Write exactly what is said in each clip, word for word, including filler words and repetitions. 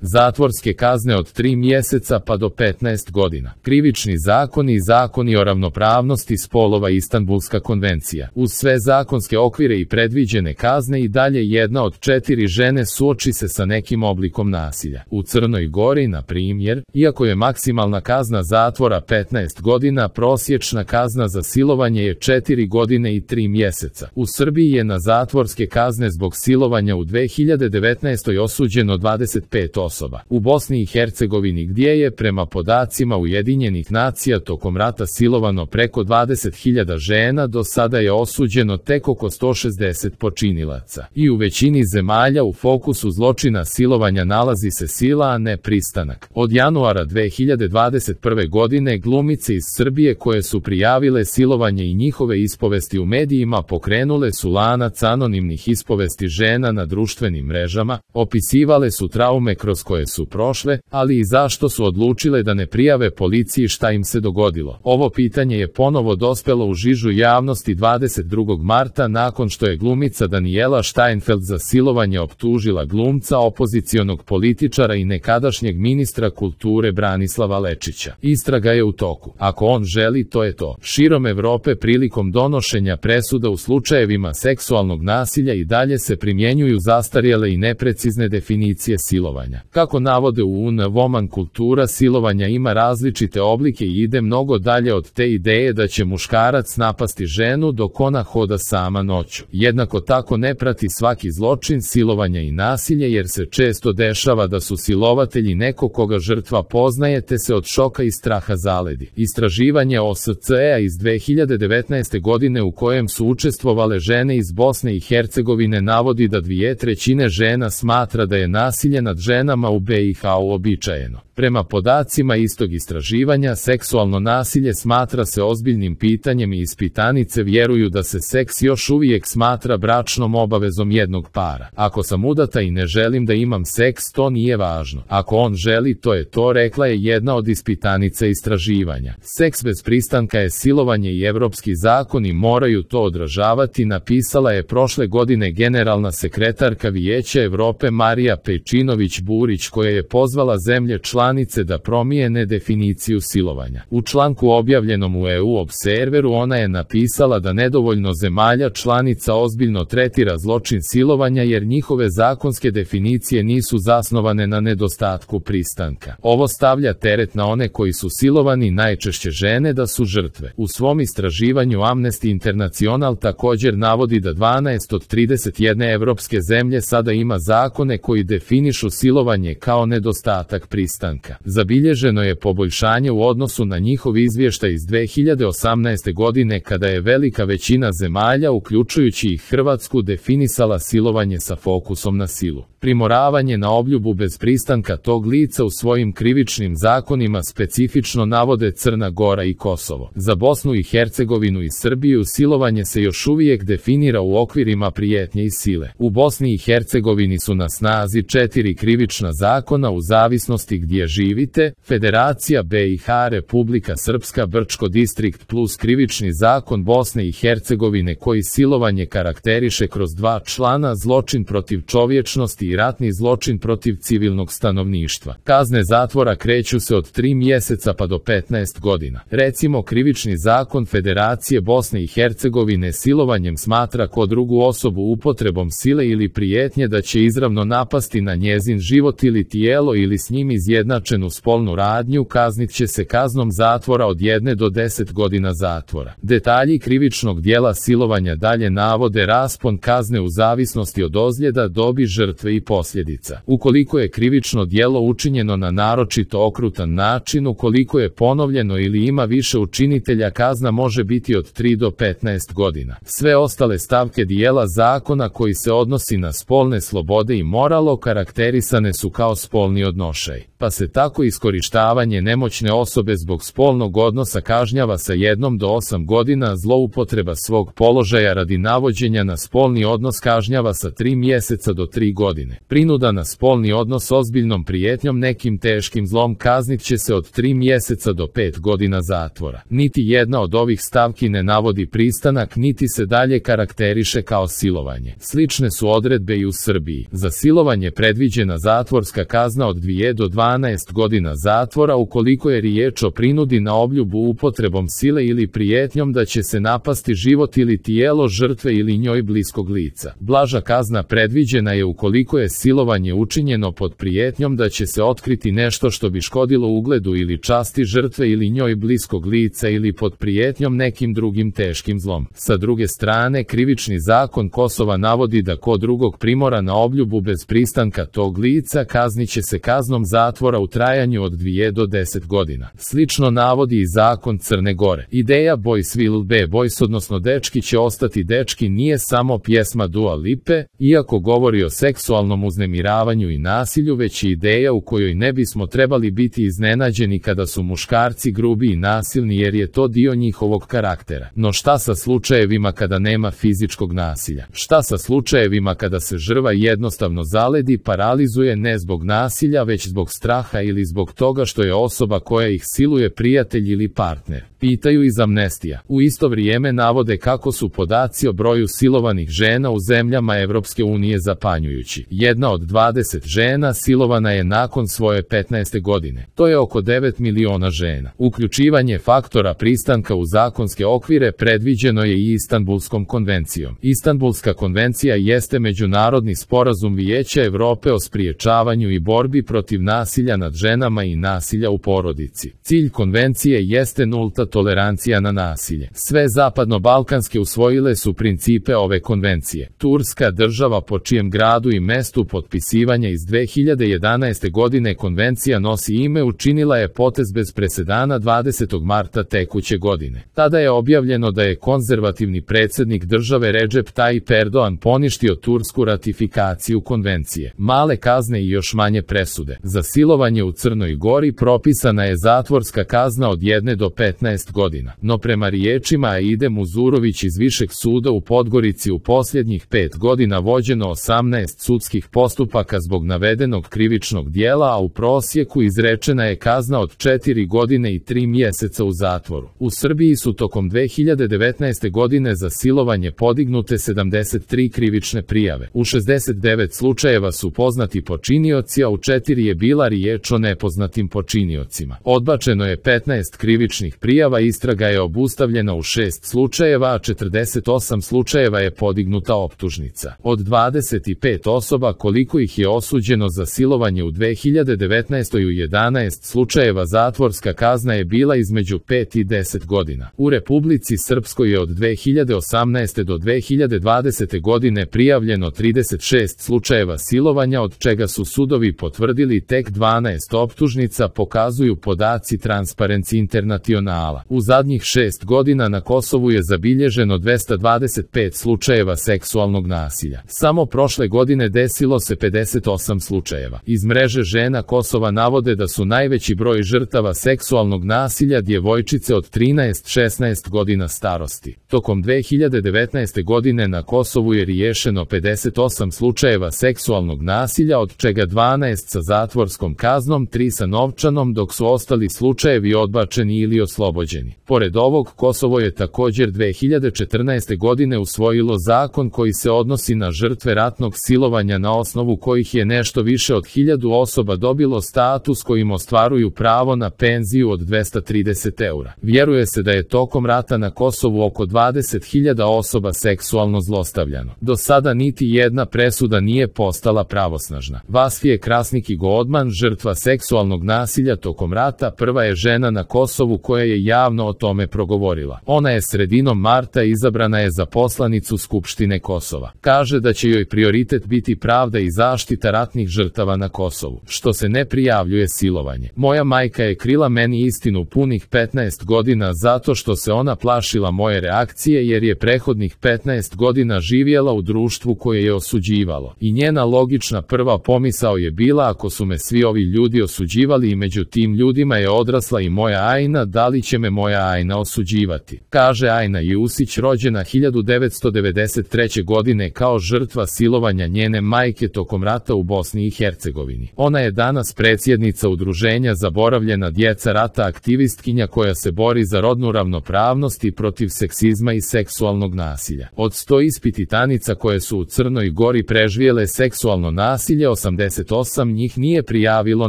Zatvorske kazne od tri mjeseca pa do petnaest godina. Krivični zakoni i zakoni o ravnopravnosti spolova i Istanbulska konvencija. Uz sve zakonske okvire i predviđene kazne i dalje jedna od četiri žene suoči se sa nekim oblikom nasilja. U Crnoj Gori, na primjer, iako je maksimalna kazna zatvora petnaest godina, prosječna kazna za silovanje je četiri godine i tri mjeseca. U Srbiji je na zatvorske kazne zbog silovanja u dve hiljade devetnaestoj osuđeno dvadeset pet osoba. U Bosni i Hercegovini, gdje je prema podacima Ujedinjenih nacija tokom rata silovano preko dvadeset hiljada žena, do sada je osuđeno tek oko sto šezdeset počinilaca. I u većini zemalja u fokusu zločina silovanja nalazi se sila, a ne pristanak. Od januara dve hiljade dvadeset prve godine glumice iz Srbije koje su prijavile silovanje i njihove ispovesti u medijima pokrenule su lanac anonimnih ispovesti žena na društvenim mrežama, opisivale su traume kroz koje su prošle, ali i zašto su odlučile da ne prijave policiji šta im se dogodilo. Ovo pitanje je ponovo dospelo u žižu javnosti dvadeset drugog marta nakon što je glumica Danijela Steinfeld za silovanje optužila glumca, opozicionog političara i nekadašnjeg ministra kulture Branislava Lečića. Istraga je u toku. Ako on želi, to je to. Širom Evrope prilikom donošenja presuda u slučajevima seksualnog nasilja i dalje se primjenjuju zastarjele i neprecizne definicije silovanja. Kako navode u U N Woman, kultura silovanja ima različite oblike i ide mnogo dalje od te ideje da će muškarac napasti ženu dok ona hoda sama noću. Jednako tako ne prati svaki zločin silovanja i nasilje, jer se često dešava da su silovatelji neko koga žrtva poznaje te se od šoka i straha zaledi. Istraživanje O S C E-a iz dve hiljade devetnaeste godine u kojem su učestvovale žene iz Bosne i Hercegovine navodi da dvije trećine žena smatra da je nasilje nad ženama u B i H uobičajeno. Prema podacima istog istraživanja, seksualno nasilje smatra se ozbiljnim pitanjem i ispitanice vjeruju da se seks još uvijek smatra bračnom obavezom jednog para. Ako sam udata i ne želim da imam seks, to nije važno. Ako on želi, to je to, rekla je jedna od ispitanica istraživanja. Seks bez pristanka je silovanje i evropski zakoni moraju to odražavati, napisala je prošle godine generalna sekretarka Vijeća Evrope Marija Pejčinović-Burić, koja je pozvala zemlje članice da promijene definiciju silovanja. U članku objavljenom u E U Observeru ona je napisala da nedovoljno zemalja članica ozbiljno tretira zločin silovanja jer njihove zakonske definicije nisu zasnovane na nedostatku pristanka. Ovo stavlja teret na one koji su silovani, najčešće žene, da su žrtve. U svom istraživanju Amnesty International također navodi da dvanaest od trideset jedne evropske zemlje sada ima zakone koji definišu silovanje kao nedostatak pristanka. Zabilježeno je poboljšanje u odnosu na njihov izvještaj iz dve hiljade osamnaeste godine kada je velika većina zemalja, uključujući i Hrvatsku, definisala silovanje sa fokusom na silu. Primoravanje na obljubu bez pristanka tog lica u svojim krivičnim zakonima specifično navode Crna Gora i Kosovo. Za Bosnu i Hercegovinu i Srbiju silovanje se još uvijek definira u okvirima prijetnje i sile. U Bosni i Hercegovini su na snazi četiri krivična zakona u zavisnosti gdje živite: Federacija B i H, Republika Srpska, Brčko distrikt plus krivični zakon Bosne i Hercegovine koji silovanje karakteriše kroz dva člana: zločin protiv čovječnosti i ratni zločin protiv civilnog stanovništva. Kazne zatvora kreću se od tri mjeseca pa do petnaest godina. Recimo, krivični zakon Federacije Bosne i Hercegovine silovanjem smatra ko drugu osobu upotrebom sile ili prijetnje da će izravno napasti na njezin život ili tijelo ili s njim izjednačenu spolnu radnju, kaznit će se kaznom zatvora od jedne do deset godina zatvora. Detalji krivičnog dijela silovanja dalje navode raspon kazne u zavisnosti od ozljeda, dobi žrtve i posljedica. Ukoliko je krivično djelo učinjeno na naročito okrutan način, ukoliko je ponovljeno ili ima više učinitelja, kazna može biti od tri do petnaest godina. Sve ostale stavke dijela zakona koji se odnosi na spolne slobode i moral okarakterisane su kao spolni odnošaj. pa se tako iskorištavanje nemoćne osobe zbog spolnog odnosa kažnjava sa jednom do osam godina, zloupotreba svog položaja radi navođenja na spolni odnos kažnjava sa tri mjeseca do tri godine. Prinuda na spolni odnos ozbiljnom prijetnjom nekim teškim zlom kaznit će se od tri mjeseca do pet godina zatvora. Niti jedna od ovih stavki ne navodi pristanak, niti se dalje karakteriše kao silovanje. Slične su odredbe i u Srbiji. Za silovanje predviđena zatvorska kazna od dvije do dvanaest godina zatvora ukoliko je riječ o prinudi na obljubu upotrebom sile ili prijetnjom da će se napasti život ili tijelo žrtve ili njoj bliskog lica. Blaža kazna predviđena je ukoliko je silovanje učinjeno pod prijetnjom da će se otkriti nešto što bi škodilo ugledu ili časti žrtve ili njoj bliskog lica ili pod prijetnjom nekim drugim teškim zlom. Sa druge strane, Krivični zakon Kosova navodi da ko drugog primora na obljubu bez pristanka tog lica kaznit će se kaznom zatvora u trajanju od dvije do deset godina. Slično navodi i zakon Crne Gore. Ideja Boys will be boys, odnosno dečki će ostati dečki, nije samo pjesma Dua Lipe, iako govori o seksualnom uznemiravanju i nasilju, već i ideja u kojoj ne bismo trebali biti iznenađeni kada su muškarci grubi i nasilni, jer je to dio njihovog karaktera. No šta sa slučajevima kada nema fizičkog nasilja? Šta sa slučajevima kada se žrtva jednostavno zaledi, paralizuje ne zbog nasilja već zbog straha ili zbog toga što je osoba koja ih siluje prijatelj ili partner? Pitaju iz Amnestija. U isto vrijeme navode kako su podaci o broju silovanih žena u zemljama Evropske unije zapanjujući. Jedna od dvadeset žena silovana je nakon svoje petnaeste godine. To je oko devet miliona žena. Uključivanje faktora pristanka u zakonske okvire predviđeno je i Istanbulskom konvencijom. Istanbulska konvencija jeste međunarodni sporazum Vijeća Evrope o spriječavanju i borbi protiv nasilja nad ženama i nasilja u porodici. Cilj konvencije jeste nulta tolerancija na nasilje. Sve zapadno-balkanske usvojile su principe ove konvencije. Turska, država po čijem gradu i mestu potpisivanja iz dve hiljade jedanaeste godine konvencija nosi ime, učinila je potez bez presedana dvadesetog marta tekuće godine. Tada je objavljeno da je konzervativni predsjednik države Recep Tayyip Erdogan poništio tursku ratifikaciju konvencije. Male kazne i još manje presude. Za silovanje u Crnoj Gori propisana je zatvorska kazna od jedne do petnaest godina. No prema riječima Aide Muzurović iz Višeg suda u Podgorici u posljednjih pet godina vođeno osamnaest sudskih postupaka zbog navedenog krivičnog dijela, a u prosjeku izrečena je kazna od četiri godine i tri mjeseca u zatvoru. U Srbiji su tokom dve hiljade devetnaeste godine za silovanje podignute sedamdeset tri krivične prijave. U šezdeset devet slučajeva su poznati počinioci, a u četiri je bila riječ o nepoznatim počiniocima. Odbačeno je petnaest krivičnih prijava, istraga je obustavljena u šest slučajeva, a četrdeset osam slučajeva je podignuta optužnica. Od dvadeset pet osoba koliko ih je osuđeno za silovanje u dve hiljade devetnaestoj u jedanaest slučajeva zatvorska kazna je bila između pet i deset godina. U Republici Srpskoj je od dve hiljade osamnaeste do dve hiljade dvadesete godine prijavljeno trideset šest slučajeva silovanja, od čega su sudovi potvrdili tek dvanaest optužnica, pokazuju podaci Transparency Internationala. U zadnjih šest godina na Kosovu je zabilježeno dvesta dvadeset pet slučajeva seksualnog nasilja. Samo prošle godine desilo se pedeset osam slučajeva. Iz mreže žena Kosova navode da su najveći broj žrtava seksualnog nasilja djevojčice od trinaest do šesnaest godina starosti. Tokom dve hiljade devetnaeste godine na Kosovu je riješeno pedeset osam slučajeva seksualnog nasilja, od čega dvanaest sa zatvorskom kaznom, tri sa novčanom, dok su ostali slučajevi odbačeni ili oslobođeni. Pored ovog, Kosovo je također dve hiljade četrnaeste godine usvojilo zakon koji se odnosi na žrtve ratnog silovanja, na osnovu kojih je nešto više od hiljadu osoba dobilo status kojim ostvaruju pravo na penziju od dvesta trideset eura. Vjeruje se da je tokom rata na Kosovu oko dvadeset hiljada osoba seksualno zlostavljano. Do sada niti jedna presuda nije postala pravosnažna. Vasfije Krasniki Godman, žrtva seksualnog nasilja tokom rata, prva je žena na Kosovu koja je javno o tome progovorila. Ona je sredinom marta izabrana je za poslanicu Skupštine Kosova. Kaže da će joj prioritet biti pravda i zaštita ratnih žrtava na Kosovu, što se ne prijavljuje silovanje. Moja majka je krila meni istinu punih petnaest godina zato što se ona plašila moje reakcije, jer je prethodnih petnaest godina živjela u društvu koje je osuđivalo. I njena logična prva pomisao je bila, ako su me svi ovi ljudi osuđivali i među tim ljudima je odrasla i moja Ajna, da li će me moja Ajna osuđivati? Kaže Ajna Jusić, rođena hiljadu devetsto devedeset treće. godine kao žrtva silovanja njene majke tokom rata u Bosni i Hercegovini. Ona je danas predsjednica udruženja Zaboravljena djeca rata, aktivistkinja koja se bori za rodnu ravnopravnost i protiv seksizma i seksualnog nasilja. Od sto ispitanica koje su u Crnoj Gori preživjele seksualno nasilje, osamdeset osam njih nije prijavilo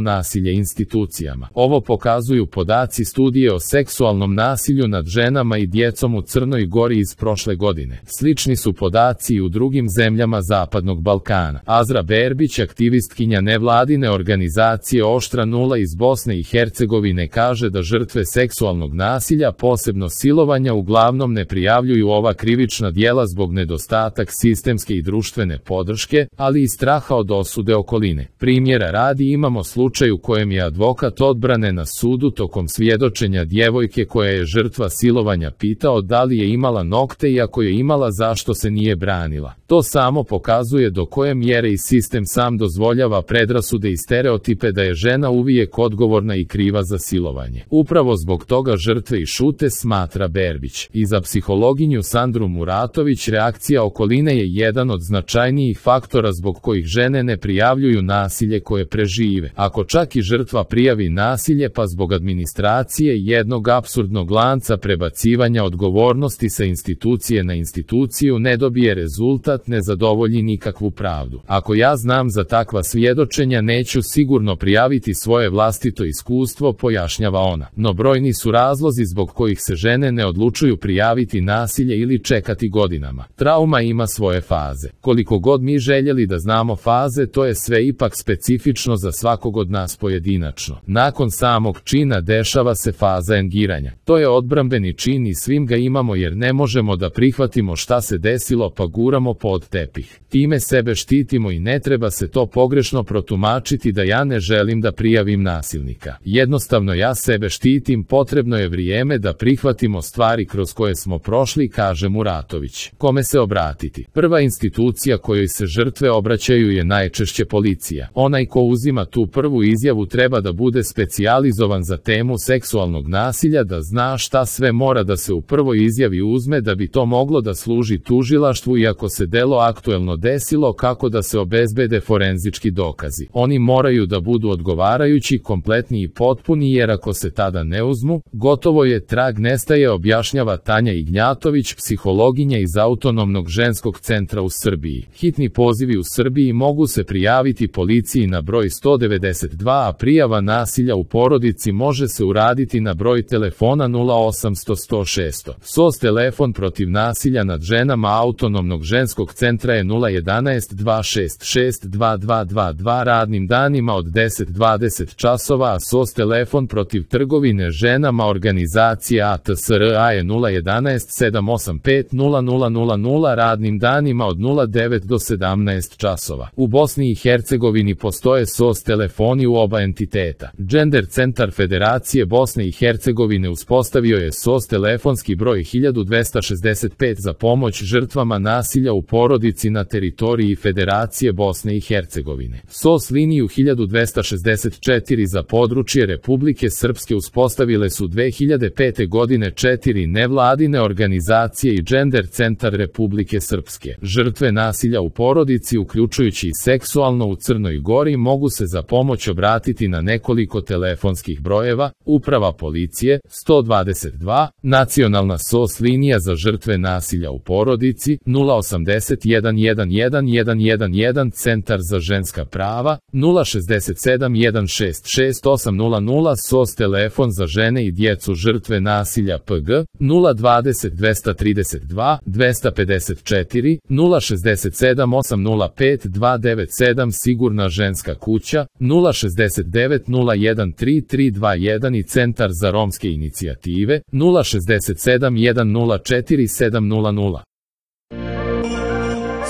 nasilje institucijama. Ovo pokazuju podaci studije o seksualnom nasilju nad ženama i djecom u Crnoj Gori iz prošle godine. Slični su podaci i u drugim zemljama Zapadnog Balkana. Azra Berbić, aktivistkinja nevladine organizacije Oštra nula iz Bosne i Hercegovine, kaže da žrtve seksualnog nasilja, posebno silovanja, uglavnom ne prijavljuju ova krivična djela zbog nedostatak sistemske i društvene podrške, ali i straha od osude okoline. Primjera radi imamo slučaj u kojem je advokat odbrane na sudu tokom svjedočenja djevojke koja je žrtva silovanja pitao da li je imala nokte i ako je imala zašto se nije branila. To samo pokazuje do koje mjere i sistem sam dozvoljava predrasude i stereotipe da je žena uvijek odgovorna i kriva za silovanje. Upravo zbog toga žrtve i šute, smatra Berbić. I za psihologinju Sandru Muratović reakcija okoline je jedan od značajnijih faktora zbog kojih žene ne prijavljuju nasilje koje prežive. Ako čak i žrtva prijavi nasilje, pa zbog administracije jednog apsurdnog lanca prebacivanja odgovornosti sa institucije na instituciju ne dobije rezultat, ne zadovolji nikakvu pravdu. Ako ja znam za takva svjedočenja, neću sigurno prijaviti svoje vlastito iskustvo, pojašnjava ona. No brojni su razlozi zbog kojih se žene ne odlučuju prijaviti nasilje ili čekati godinama. Trauma ima svoje faze. Koliko god mi željeli da znamo faze, to je sve ipak specifično za svakog od nas pojedinačno. Nakon samog čina dešava se faza engiranja. To je odbrambeni čin i svim ga imamo jer ne možemo da prihvatimo šta se desilo pa guramo pod tepih. Time sebe štitimo i ne treba se to pogrešno protumačiti da ja ne želim da prijavim nasilnika. Jednostavno ja sebe štitim, potrebno je vrijeme da prihvatimo stvari kroz koje smo prošli, kaže Muratović. Kome se obratiti? Prva institucija kojoj se žrtve obraćaju je najčešće policija. Onaj ko uzima tu prvu izjavu treba da bude specijalizovan za temu seksualnog nasilja, da zna šta sve mora da se u prvoj izjavi uzme da bi to moglo da služi tužilaštvu i ako se delo aktuelno desilo, kako da se obezbede forenzički dokazi. Oni moraju da budu odgovarajući, kompletni i potpuni, jer ako se tada ne uzmu, gotovo je, trag nestaje, objašnjava Tanja Ignjatović, psihologinja iz Autonomnog ženskog centra u Srbiji. Hitni pozivi u Srbiji mogu se prijaviti policiji na broj sto devedeset dva, a prijava nasilja u porodici može se uraditi na broj telefona nula osamsto sto šesto. S O S telefon protiv nasilja nad ženama Autonomnog ženskog centra je nula jedanaest dva šest šest dva dva dva dva radnim danima od deset do dvadeset časova, a S O S telefon protiv trgovine ženama organizacije A T S R A je nula jedanaest sedam osam pet nula nula nula nula radnim danima od nula devet do sedamnaest časova. U Bosni i Hercegovini postoje S O S telefoni u oba entiteta. Gender centar Federacije Bosne i Hercegovine uspostavio je S O S telefonski broj hiljadu dvesta šezdeset pet za pomoć žrtvama nasilja u porodici na teritoriji Federacije Bosne i Hercegovine. S O S liniju hiljadu dvesta šezdeset četiri za područje Republike Srpske uspostavile su dve hiljade pete. godine četiri nevladine organizacije i Gender centar Republike Srpske. Žrtve nasilja u porodici, uključujući i seksualno, u Crnoj Gori mogu se za pomoć obratiti na nekoliko telefonskih brojeva: Uprava policije sto dvadeset dva, Nacionalna S O S linija za žrtve nasilja u porodici nula osamdeset jedan jedan jedan jedan jedan jedan, Centar za ženska prava nula šezdeset sedam jedan šest šest osam nula nula, S O S telefon za žene i djecu žrtve nasilja P G nula dvadeset dvesta trideset dva dvesta pedeset četiri nula šezdeset sedam osam nula pet dva devet sedam, Sigurna ženska kuća nula šezdeset devet nula jedan tri tri dva jedan i Centar za romske inicijative nula šezdeset sedam jedan nula četiri sedam nula nula.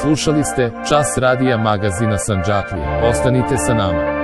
Slušali ste Čas radija magazina Sandžaklija. Ostanite sa nama.